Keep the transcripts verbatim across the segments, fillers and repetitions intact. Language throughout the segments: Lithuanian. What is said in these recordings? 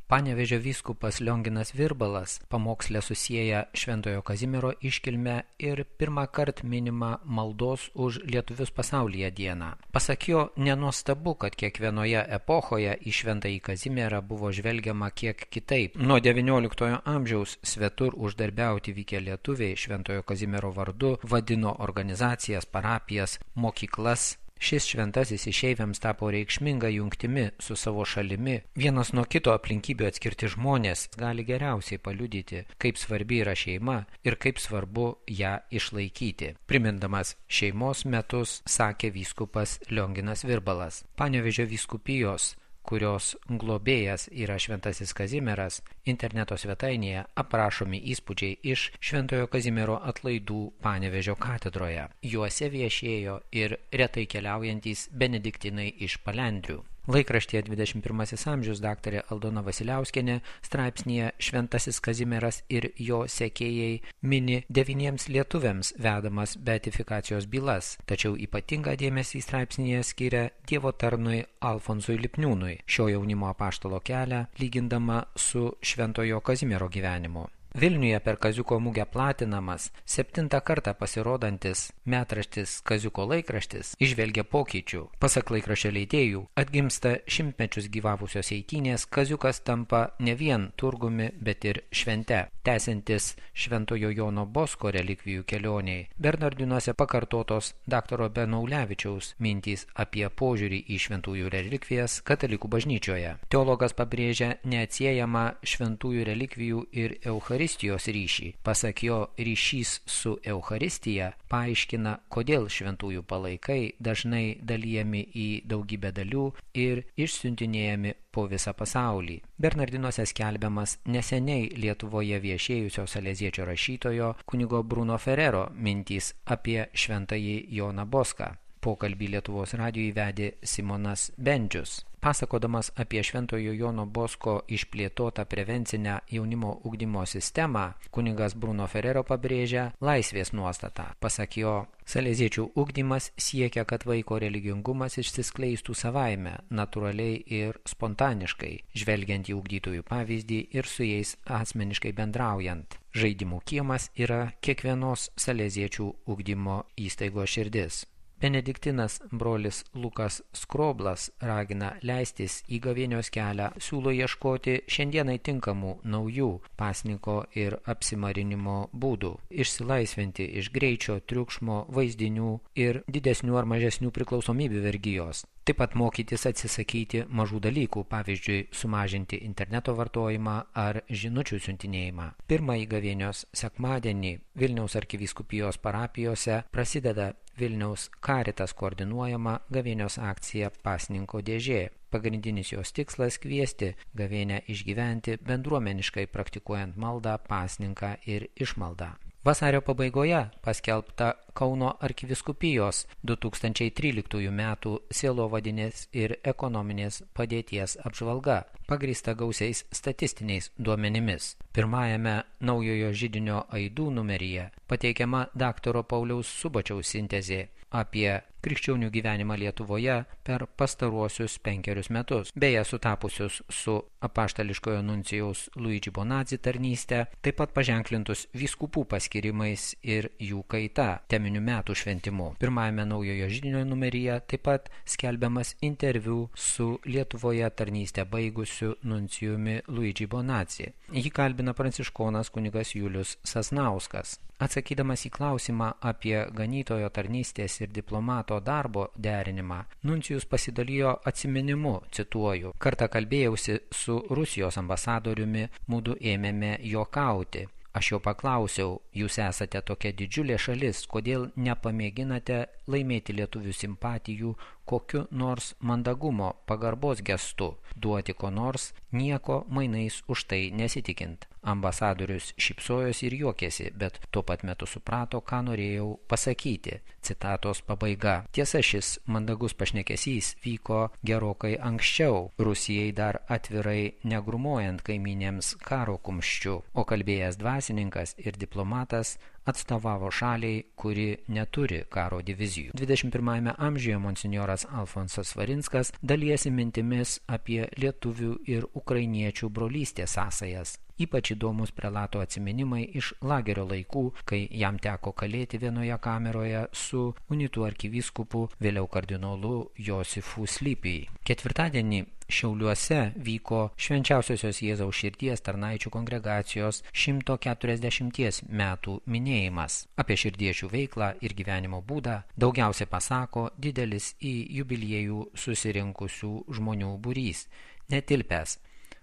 Panevėžio vyskupas Lionginas Virbalas pamoksle susieja Šventojo Kazimiero iškilmę ir pirmą kartą minimą maldos už lietuvius pasaulyje dieną. Pasak jo, nenuostabu, kad kiekvienoje epochoje į Šventąjį Kazimierą buvo žvelgiama kiek kitaip. Nuo devynioliktojo amžiaus svetur uždarbiauti vykę lietuviai Šventojo Kazimiero vardu vadino organizacijas, parapijas, mokyklas. Šis šventasis išeiviams tapo reikšminga jungtimi su savo šalimi. Vienas nuo kito aplinkybių atskirti žmonės gali geriausiai paliudyti, kaip svarbi yra šeima ir kaip svarbu ją išlaikyti. Primindamas šeimos metus, sakė vyskupas Lionginas Virbalas. Panevėžio vyskupijos, kurios globėjas yra Šventasis Kazimieras, interneto svetainėje aprašomi įspūdžiai iš Šventojo Kazimiero atlaidų Panevėžio katedroje. Juose viešėjo ir retai keliaujantys benediktinai iš Palendrių. Laikraštyje dvidešimt pirmasis amžius daktarė Aldona Vasiliauskienė straipsnyje Šventasis Kazimieras ir jo sekėjai mini devyniems lietuviams vedamas beatifikacijos bylas, tačiau ypatingą dėmesį straipsnyje skiria Dievo tarnui Alfonsui Lipniūnui, šio jaunimo apaštalo kelią lygindama su Šventojo Kazimiero gyvenimu. Vilniuje per Kaziuko mugę platinamas, septintą kartą pasirodantis metraštis Kaziuko laikraštis įžvelgia pokyčių. Pasak laikraščio leidėjų, atgimsta šimtmečius gyvavusios eitynės, Kaziukas tampa ne vien turgumi, bet ir švente. Tęsiantis Šventojo Jono Bosko relikvijų kelioniai, Bernardinuose pakartotos daktaro Benaulevičiaus mintys apie požiūrį į šventųjų relikvijas katalikų bažnyčioje. Teologas pabrėžia neatsiejamą šventųjų relikvijų ir Eucharistijos ryšį. Pasak jo, ryšys su Eucharistija paaiškina, kodėl šventųjų palaikai dažnai dalijami į daugybę dalių ir išsiuntinėjami po visą pasaulį. Bernardinuose skelbiamas neseniai Lietuvoje viešėjusio saleziečio rašytojo kunigo Bruno Ferrero mintys apie Šventąjį Joną Boską. Pokalbį Lietuvos radijui vedė Simonas Bendžius. Pasakodamas apie Šventojo Jono Bosko išplėtotą prevencinę jaunimo ugdymo sistemą, kunigas Bruno Ferrero pabrėžia laisvės nuostatą. Pasak jo, saleziečių ugdymas siekia, kad vaiko religingumas išsiskleistų savaime, natūraliai ir spontaniškai, žvelgiant į ugdytojų pavyzdį ir su jais asmeniškai bendraujant. Žaidimų kiemas yra kiekvienos saleziečių ugdymo įstaigos širdis. Benediktinas brolis Lukas Skroblas ragina leistis į gavėnios kelią, siūlo ieškoti šiandienai tinkamų naujų pasninko ir apsimarinimo būdų, išsilaisvinti iš greičio, triukšmo, vaizdinių ir didesnių ar mažesnių priklausomybių vergijos. Taip pat mokytis atsisakyti mažų dalykų, pavyzdžiui, sumažinti interneto vartojimą ar žinučių siuntinėjimą. Pirmąjį gavėnios sekmadienį Vilniaus arkivyskupijos parapijose prasideda Vilniaus Caritas koordinuojama gavėnios akcija Pasninko dėžė. Pagrindinis jos tikslas kviesti gavėnę išgyventi bendruomeniškai praktikuojant maldą, pasninką ir išmaldą. Vasario pabaigoje paskelbta Kauno arkivyskupijos du tūkstančiai tryliktųjų metų sielovadinės ir ekonominės padėties apžvalga, pagrįsta gausiais statistiniais duomenimis. Pirmajame naujojo židinio aidų numeryje pateikiama daktaro Pauliaus Subačiaus sintezė apie krikščionių gyvenimą Lietuvoje per pastaruosius penkerius metus, beje sutapusius su apaštališkojo nuncijaus Luigi Bonazzi tarnyste, taip pat paženklintus vyskupų paskirimais ir jų kaita, teminių metų šventimu. Pirmajame naujojo židinio numeryje taip pat skelbiamas interviu su Lietuvoje tarnystę baigusiu nuncijumi Luigi Bonazzi. Jį kalbina pranciškonas kunigas Julius Sasnauskas. Atsakydamas į klausimą apie ganytojo tarnystės ir diplomato darbo derinimą, nuncijus pasidalijo atsiminimu, cituoju, kartą kalbėjausi su Rusijos ambasadoriumi, mudu ėmėme juokauti. Aš jo paklausiau, jūs esate tokia didžiulė šalis, kodėl nepamėginate laimėti lietuvių simpatijų kokiu nors mandagumo, pagarbos gestu, duoti ko nors, nieko mainais už tai nesitikint. Ambasadorius šypsojosi ir juokėsi, bet tuo pat metu suprato, ką norėjau pasakyti. Citatos pabaiga. Tiesa, šis mandagus pašnekesys vyko gerokai anksčiau, Rusijai dar atvirai negrumuojant kaimynėms karo kumščiu, o kalbėjęs dvasininkas ir diplomatas atstovavo šaliai, kuri neturi karo divizijų. dvidešimt pirmajame amžiuje monsinjoras Alfonsas Svarinskas dalijasi mintimis apie lietuvių ir ukrainiečių brolystės sąsajas. Ypač įdomus prelato atsiminimai iš lagerio laikų, kai jam teko kalėti vienoje kameroje su unitų arkivyskupu, vėliau kardinolu Josifu Slypijai. Ketvirtadienį Šiauliuose vyko Švenčiausiosios Jėzaus širdies tarnaičių kongregacijos šimto keturiasdešimties metų minėjimas. Apie širdiečių veiklą ir gyvenimo būdą daugiausiai pasako didelis į jubiliejų susirinkusių žmonių būrys, netilpęs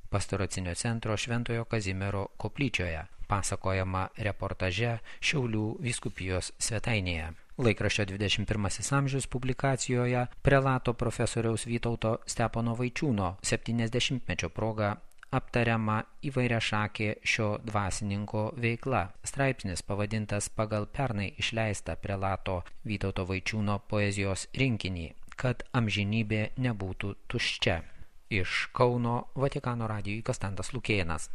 Pastoracinio centro Šventojo Kazimiero koplyčioje, pasakojama reportaže Šiaulių vyskupijos svetainėje. Laikraščio dvidešimt pirmasis amžius publikacijoje prelato profesoriaus Vytauto Stepono Vaičiūno septyniasdešimtmečio proga aptariama įvairiašakė šio dvasininko veikla. Straipsnis pavadintas pagal pernai išleistą prelato Vytauto Vaičiūno poezijos rinkinį, kad amžinybė nebūtų tuščia. Iš Kauno Vatikano radijui Konstantas Lukėnas.